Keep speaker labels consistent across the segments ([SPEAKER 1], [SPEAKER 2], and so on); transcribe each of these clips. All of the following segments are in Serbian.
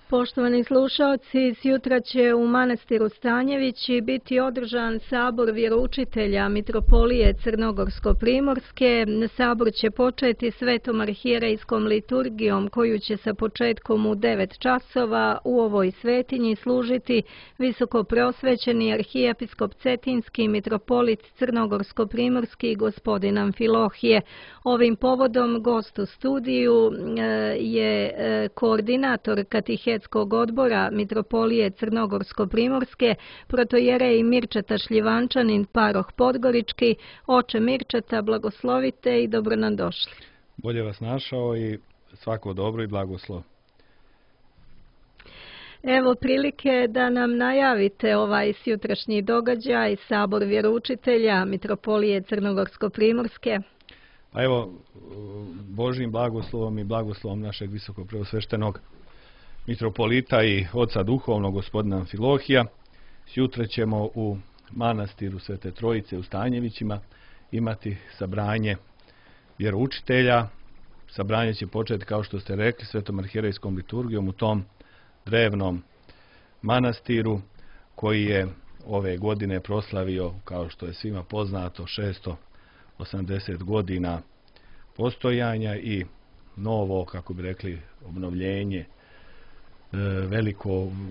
[SPEAKER 1] Poštovani slušaoci, sjutra će u manastiru Stanjevići biti održan sabor vjeroučitelja Mitropolije Crnogorsko-primorske. Sabor će početi svetom arhijerejskom liturgijom koju će sa početkom u 9 časova u ovoj svetinji služiti visoko preosvećeni arhijepiskop Cetinski mitropolit Crnogorsko-primorski gospodin Amfilohije. Ovim povodom gost u studiju je koordinator Katehetskog odbora Mitropolije Crnogorsko-primorske, protojerej Mirčeta Šljivančanin, paroh Podgorički. Oče Mirčeta, blagoslovite i dobro nam došli.
[SPEAKER 2] Bolje vas našao i svako dobro i blagoslov.
[SPEAKER 1] Evo prilike da nam najavite ovaj sutrašnji događaj, sabor vjeroučitelja Mitropolije Crnogorsko-primorske.
[SPEAKER 2] Pa evo, Božjim blagoslovom i blagoslovom našeg visokopreosveštenog mitropolita i oca duhovnog gospodina Amfilohija, sutra ćemo u manastiru Svete Trojice u Stanjevićima imati sabranje vjeroučitelja. Sabranje će početi, kao što ste rekli, svetom arhijerejskom liturgijom u tom drevnom manastiru koji je ove godine proslavio, kao što je svima poznato, 680 godina postojanja i novo, kako bi rekli, obnovljenje,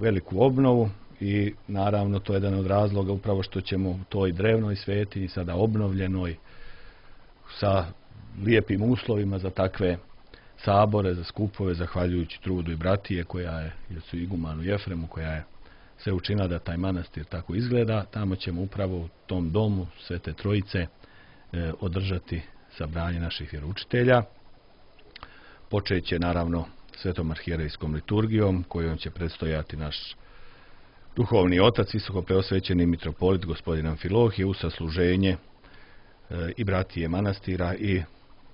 [SPEAKER 2] veliku obnovu, i naravno to je jedan od razloga upravo što ćemo u toj drevnoj svetinji, sada obnovljenoj, sa lijepim uslovima za takve sabore, za skupove, zahvaljujući trudu i bratije koja je, jer su igumanu Jefremu, koja je sve učinila da taj manastir tako izgleda. Tamo ćemo upravo u tom domu Svete Trojice održati sabranje naših vjeroučitelja. Počet će naravno svetom arhijerejskom liturgijom kojom će predstojati naš duhovni otac, visoko preosvećeni mitropolit gospodin Amfilohije, uz sasluženje i bratije manastira i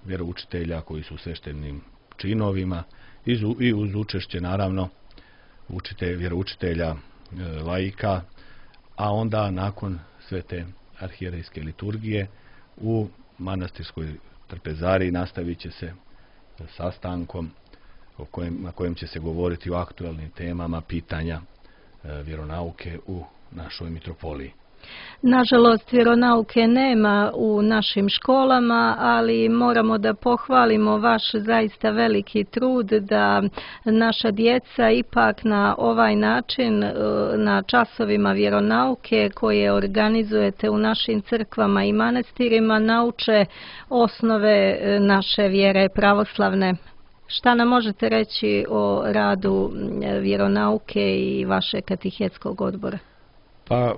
[SPEAKER 2] vjeroučitelja koji su u sveštenim činovima i uz učešće naravno vjeroučitelja laika, a onda nakon svete arhijerejske liturgije u manastirskoj trpezariji nastavit će se sastankom na kojem će se govoriti o aktualnim temama pitanja vjeronauke u našoj mitropoliji.
[SPEAKER 1] Nažalost, vjeronauke nema u našim školama, ali moramo da pohvalimo vaš zaista veliki trud da naša djeca ipak na ovaj način, na časovima vjeronauke koje organizujete u našim crkvama i manastirima, nauče osnove naše vjere pravoslavne. Šta nam možete reći o radu vjeronauke i vašeg katehetskog odbora?
[SPEAKER 2] Pa,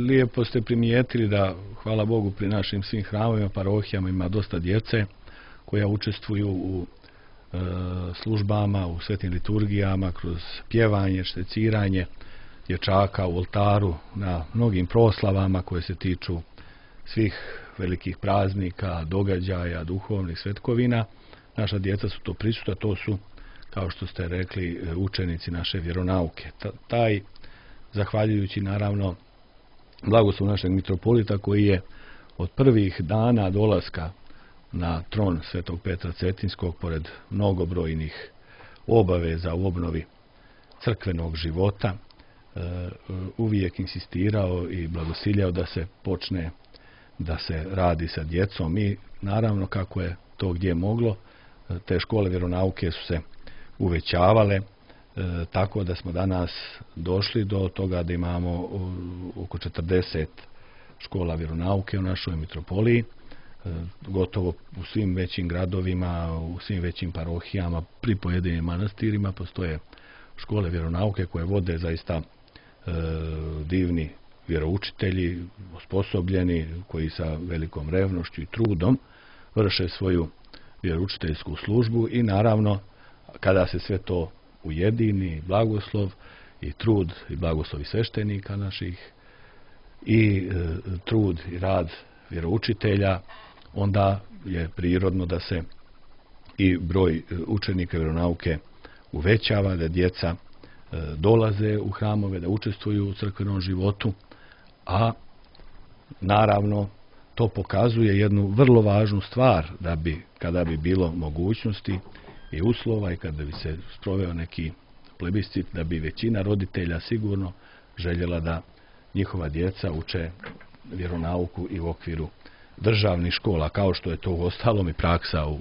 [SPEAKER 2] lijepo ste primijetili da, hvala Bogu, pri našim svim hramovima, parohijama ima dosta djece koja učestvuju u službama, u svetim liturgijama, kroz pjevanje, šteciranje dječaka u oltaru, na mnogim proslavama koje se tiču svih velikih praznika, događaja, duhovnih svetkovina. Naša djeca su to prisutna, to su, kao što ste rekli, učenici naše vjeronauke. Taj, zahvaljujući naravno blagoslov našeg mitropolita koji je od prvih dana dolaska na tron svetog Petra Cetinskog, pored mnogobrojnih obaveza u obnovi crkvenog života, uvijek insistirao i blagosiljao da se počne da se radi sa djecom, i naravno kako je to gdje moglo, te škole vjeronauke su se uvećavale, tako da smo danas došli do toga da imamo oko 40 škola vjeronauke u našoj mitropoliji. Gotovo u svim većim gradovima, u svim većim parohijama, pri pojedinim manastirima postoje škole vjeronauke koje vode zaista divni vjeroučitelji, osposobljeni, koji sa velikom revnošću i trudom vrše svoju vjeroučiteljsku službu, i naravno kada se sve to ujedini, blagoslov i trud i blagoslovi sveštenika naših i trud i rad vjeroučitelja, onda je prirodno da se i broj učenika vjeronauke uvećava, da djeca dolaze u hramove, da učestvuju u crkvenom životu, a naravno to pokazuje jednu vrlo važnu stvar, da bi, kada bi bilo mogućnosti i uslova i kada bi se sproveo neki plebiscit, da bi većina roditelja sigurno željela da njihova djeca uče vjeronauku i u okviru državnih škola, kao što je to uostalom i praksa u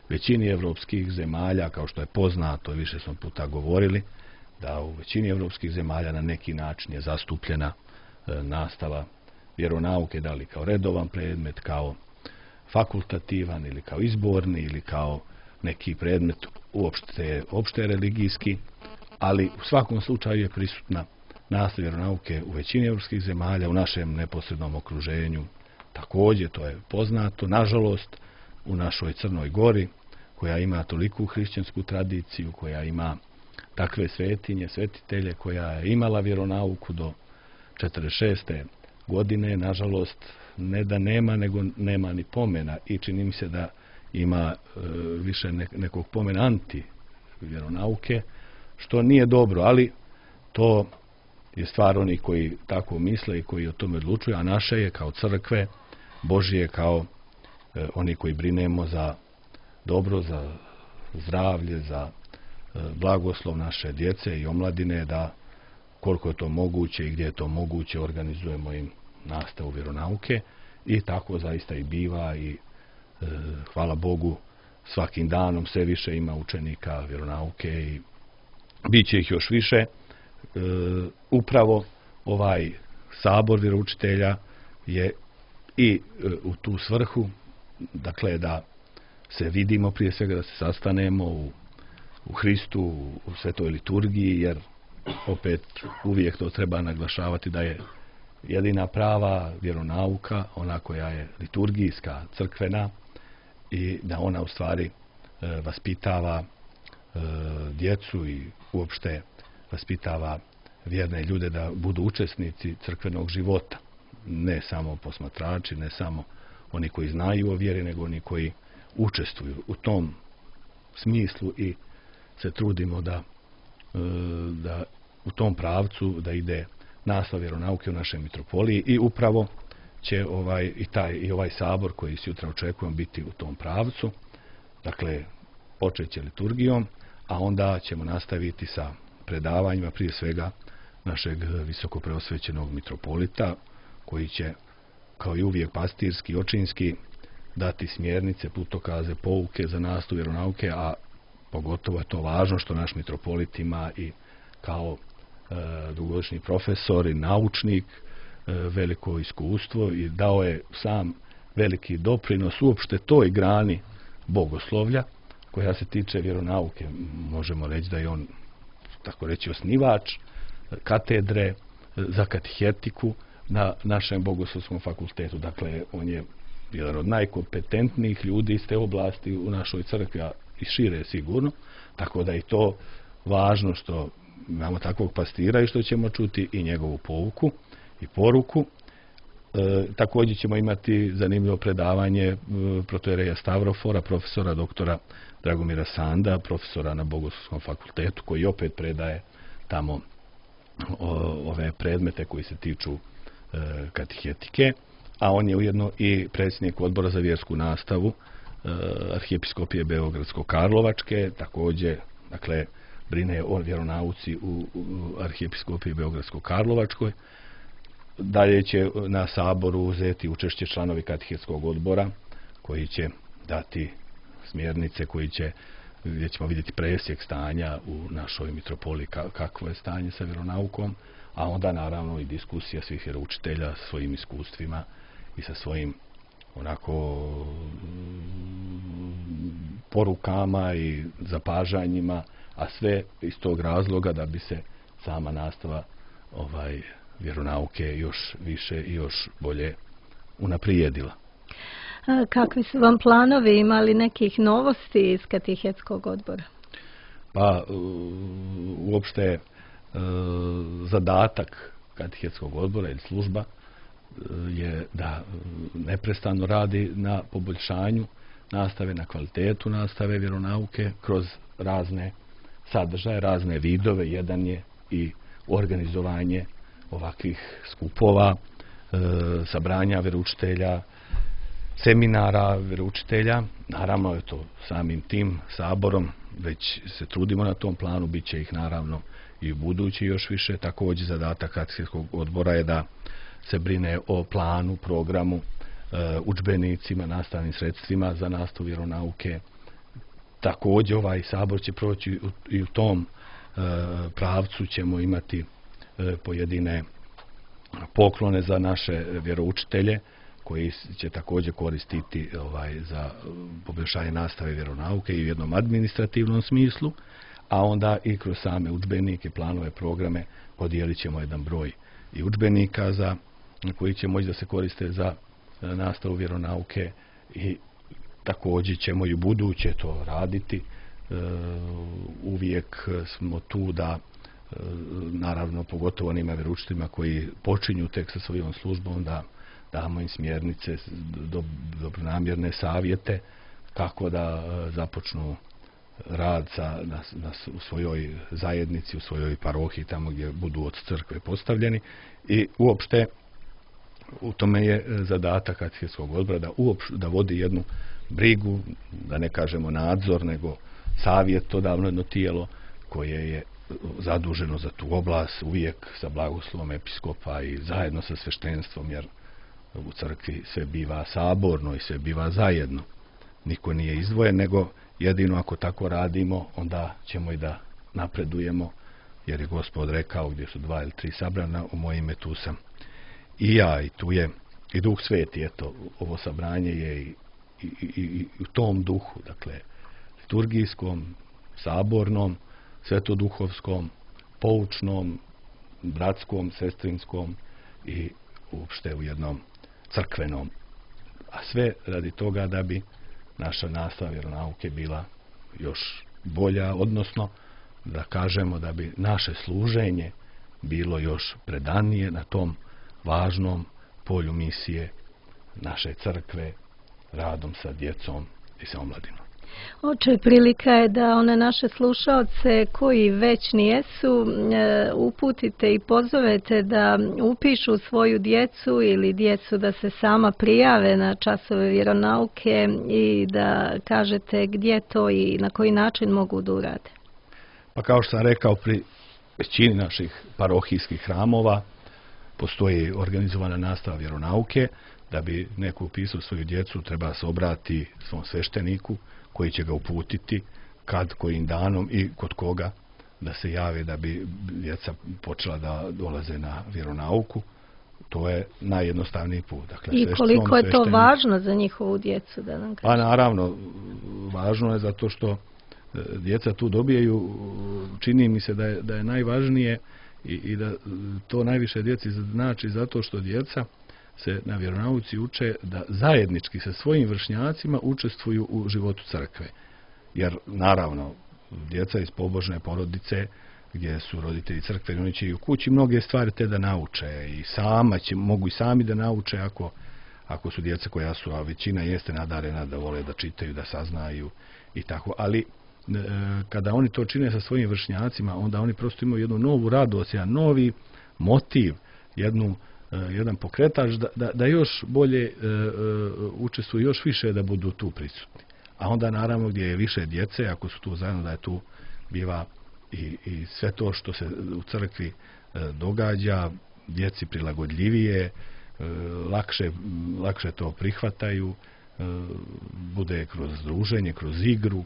[SPEAKER 2] većini evropskih zemalja, kao što je poznato, više smo puta govorili, da u većini evropskih zemalja na neki način je zastupljena nastava vjeronauke, da li kao redovan predmet, kao fakultativan ili kao izborni ili kao neki predmet opšte religijski, ali u svakom slučaju je prisutna nastava vjeronauke u većini evropskih zemalja, u našem neposrednom okruženju. Također, to je poznato, nažalost, u našoj Crnoj Gori, koja ima toliku hrišćansku tradiciju, koja ima takve svetinje, svetitelje, koja je imala vjeronauku do 46. godine, nažalost, ne da nema, nego nema ni pomena i čini mi se da ima više nekog pomena anti vjeronauke, što nije dobro, ali to je stvar onih koji tako misle i koji o tome odlučuju, a naše je kao crkve Božije, kao oni koji brinemo za dobro, za zdravlje, za blagoslov naše djece i omladine, da koliko je to moguće i gdje je to moguće organizujemo im nastavu vjeronauke i tako zaista i biva i hvala Bogu svakim danom sve više ima učenika vjeronauke i bit će ih još više. Upravo ovaj sabor vjeroučitelja je i u tu svrhu, dakle da se vidimo, prije svega da se sastanemo u Hristu, u svetoj liturgiji, jer opet uvijek to treba naglašavati da je jedina prava vjeronauka ona koja je liturgijska, crkvena i da ona u stvari vaspitava djecu i uopšte vaspitava vjerne ljude da budu učesnici crkvenog života. Ne samo posmatrači, ne samo oni koji znaju o vjeri, nego oni koji učestvuju u tom smislu i se trudimo da u tom pravcu da ide nastava vjeronauke u našoj mitropoliji i upravo će ovaj sabor koji sutra očekujemo biti u tom pravcu. Dakle, počet će liturgijom, a onda ćemo nastaviti sa predavanjima, prije svega našeg visoko preosvećenog mitropolita, koji će, kao i uvijek pastirski, očinski, dati smjernice, putokaze, pouke za nastavu vjeronauke, a pogotovo je to važno što naš mitropolit ima i kao dugogodišnji profesor i naučnik veliko iskustvo i dao je sam veliki doprinos uopšte toj grani bogoslovlja koja se tiče vjeronauke. Možemo reći da je on, tako reći, osnivač katedre za katehetiku na našem bogoslovskom fakultetu. Dakle, on je jedan od najkompetentnijih ljudi iz te oblasti u našoj crkvi, a i šire sigurno. Tako da je to važno što imamo takvog pastira i što ćemo čuti i njegovu pouku i poruku. Također ćemo imati zanimljivo predavanje protoijereja Stavrofora, profesora doktora Dragomira Sanda, profesora na Bogoslovskom fakultetu, koji opet predaje tamo ove predmete koji se tiču katehetike, a on je ujedno i predsjednik odbora za vjersku nastavu Arhijepiskopije Beogradsko-Karlovačke, također, dakle, brine o vjeronauci u Arhijepiskopiji Beogradsko-Karlovačkoj. Dalje će na saboru uzeti učešće članovi katehetskog odbora koji će dati smjernice, gdje ćemo vidjeti presjek stanja u našoj mitropoliji, kakvo je stanje sa vjeronaukom, a onda naravno i diskusija svih vjeroučitelja sa svojim iskustvima i sa svojim porukama i zapažanjima, a sve iz tog razloga da bi se sama nastava vjeronauke još više i još bolje unaprijedila.
[SPEAKER 1] Kakvi su vam planovi, imali nekih novosti iz katehetskog odbora?
[SPEAKER 2] Pa, uopšte zadatak katehetskog odbora ili služba je da neprestano radi na poboljšanju nastave, na kvalitetu nastave vjeronauke kroz razne sadržaje, razne vidove. Jedan je i organizovanje ovakvih skupova, sabranja vjeroučitelja seminara vjeroučitelja. Naravno je to samim tim saborom, već se trudimo na tom planu, bit će ih naravno i u budući još više. Također zadatak katehetskog odbora je da se brine o planu, programu, udžbenicima, nastavnim sredstvima za nastavu vjeronauke. Također ovaj sabor će proći i u tom pravcu, ćemo imati pojedine poklone za naše vjeroučitelje koji će također koristiti za poboljšanje nastave vjeronauke i u jednom administrativnom smislu, a onda i kroz same udžbenike, planove, programe podijelit ćemo jedan broj i udžbenika koji će moći da se koriste za nastavu vjeronauke i također ćemo i u buduće to raditi. Uvijek smo tu da, naravno pogotovo onima vjeroučiteljima koji počinju tek sa svojom službom, da damo im smjernice, dobronamjerne savjete kako da započnu rad u svojoj zajednici, u svojoj parohiji, tamo gdje budu od crkve postavljeni. I uopšte u tome je zadatak katehetskog odbora da vodi jednu brigu, da ne kažemo nadzor, nego savjetodavno jedno tijelo koje je zaduženo za tu oblast, uvijek sa blagoslovom episkopa i zajedno sa sveštenstvom, jer u crkvi sve biva saborno i sve biva zajedno. Niko nije izdvojen, nego jedino ako tako radimo, onda ćemo i da napredujemo, jer je Gospod rekao, gdje su 2 ili 3 sabrana, u moje ime tu sam i ja, i tu je i Duh Sveti. Eto, ovo sabranje je i u tom duhu, dakle, liturgijskom, sabornom, svetoduhovskom, poučnom, bratskom, sestrinskom i uopšte u jednom crkvenom. A sve radi toga da bi naša nastava vjeronauke bila još bolja, odnosno da kažemo da bi naše služenje bilo još predanije na tom važnom polju misije naše crkve, radom sa djecom i sa omladinom.
[SPEAKER 1] Oče, prilika je da one naše slušaoce koji već nijesu uputite i pozovete da upišu svoju djecu ili djecu da se sama prijave na časove vjeronauke i da kažete gdje to i na koji način mogu da urade.
[SPEAKER 2] Pa kao što sam rekao, pri većini naših parohijskih hramova postoji organizovana nastava vjeronauke. Da bi neko upisao svoju djecu, treba se obratiti svom svešteniku koji će ga uputiti kad, kojim danom i kod koga da se jave da bi djeca počela da dolaze na vjeronauku. To je najjednostavniji put. Dakle,
[SPEAKER 1] i koliko je to važno za njihovu djecu, da nam kažete?
[SPEAKER 2] Pa naravno, važno je zato što djeca tu dobijaju, čini mi se da je najvažnije i da to najviše djeci znači zato što djeca se na vjeronauci uče da zajednički sa svojim vršnjacima učestvuju u životu crkve. Jer naravno, djeca iz pobožne porodice gdje su roditelji crkveni, oni će i u kući mnoge stvari te da nauče i mogu i sami da nauče ako su djeca koja su, a većina jeste nadarena da vole da čitaju, da saznaju i tako. Ali kada oni to čine sa svojim vršnjacima, onda oni prosto imaju jednu novu radost, jedan novi motiv, jedan pokretač da još bolje učestvuju, još više da budu tu prisutni. A onda naravno gdje je više djece, ako su tu zajedno, da je tu biva i sve to što se u crkvi događa, djeci prilagodljivije, lakše to prihvataju, bude kroz druženje, kroz igru,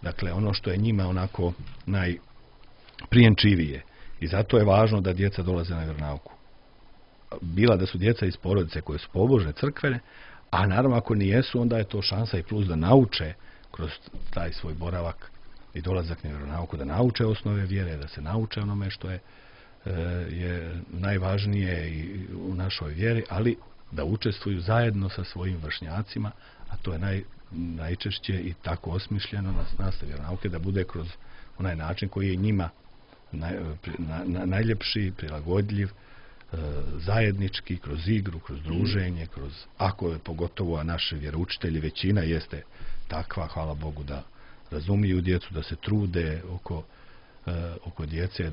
[SPEAKER 2] dakle ono što je njima onako najprijenčivije. I zato je važno da djeca dolaze na vjeronauku. Bila da su djeca iz porodice koje su pobožne, crkvene, a naravno ako nijesu, onda je to šansa i plus da nauče kroz taj svoj boravak i dolazak na vjeronauku, da nauče osnove vjere, da se nauče onome što je najvažnije i u našoj vjeri, ali da učestvuju zajedno sa svojim vršnjacima, a to je najčešće i tako osmišljeno na nastavi vjeronauke, da bude kroz onaj način koji je njima najljepši, prilagodljiv, zajednički, kroz igru, kroz druženje, ako je pogotovo, a naši vjeroučitelji većina jeste takva, hvala Bogu, da razumiju djecu, da se trude oko djece,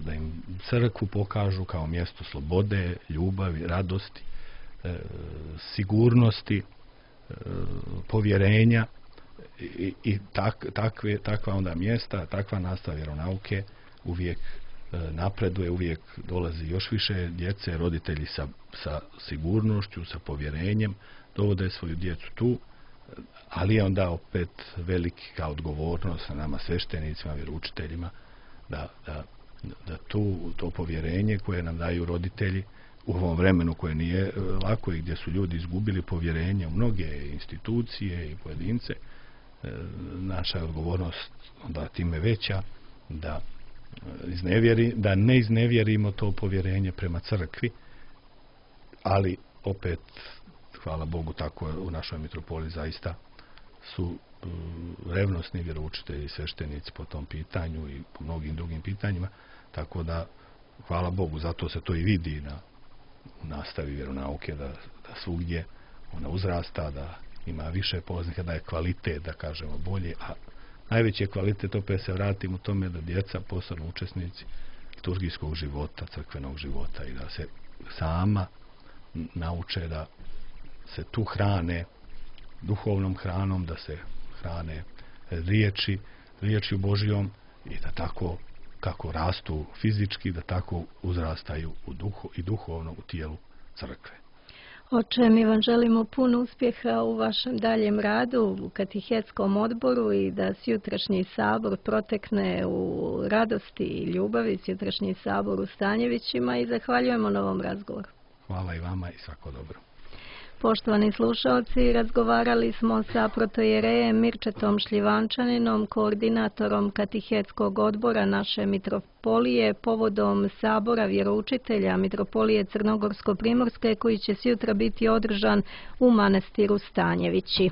[SPEAKER 2] da im crkvu pokažu kao mjesto slobode, ljubavi, radosti, sigurnosti, povjerenja i takva onda mjesta, takva nastava vjeronauke uvijek napreduje, uvijek dolazi još više djece, roditelji sa sigurnošću, sa povjerenjem dovode svoju djecu tu, ali je onda opet velika odgovornost na nama sveštenicima, vjeroučiteljima da to povjerenje koje nam daju roditelji u ovom vremenu koje nije lako i gdje su ljudi izgubili povjerenje u mnoge institucije i pojedince, naša je odgovornost onda time veća da ne iznevjerimo to povjerenje prema crkvi, ali opet, hvala Bogu, tako u našoj mitropoliji zaista su revnosni vjeroučitelji i sveštenici po tom pitanju i po mnogim drugim pitanjima, tako da hvala Bogu, zato se to i vidi na nastavi vjeronauke, da svugdje ona uzrasta, da ima više polaznika, da je kvalitet, da kažemo, bolje, a najveći je kvalitet, opet se vratim u tome, da djeca postanu učesnici liturgijskog života, crkvenog života i da se sama nauče da se tu hrane duhovnom hranom, da se hrane riječju Božijom i da tako kako rastu fizički, da tako uzrastaju i duhovno u tijelu crkve.
[SPEAKER 1] Oče, mi vam želimo puno uspjeha u vašem daljem radu u katehetskom odboru i da sutrašnji sabor protekne u radosti i ljubavi, sutrašnji sabor u Stanjevićima, i zahvaljujemo na ovom razgovoru.
[SPEAKER 2] Hvala i vama i svako dobro.
[SPEAKER 1] Poštovani slušalci, razgovarali smo sa protojerejem Mirčetom Šljivančaninom, koordinatorom katehetskog odbora naše mitropolije, povodom sabora vjeroučitelja mitropolije Crnogorsko-primorske koji će sutra biti održan u manastiru Stanjevići.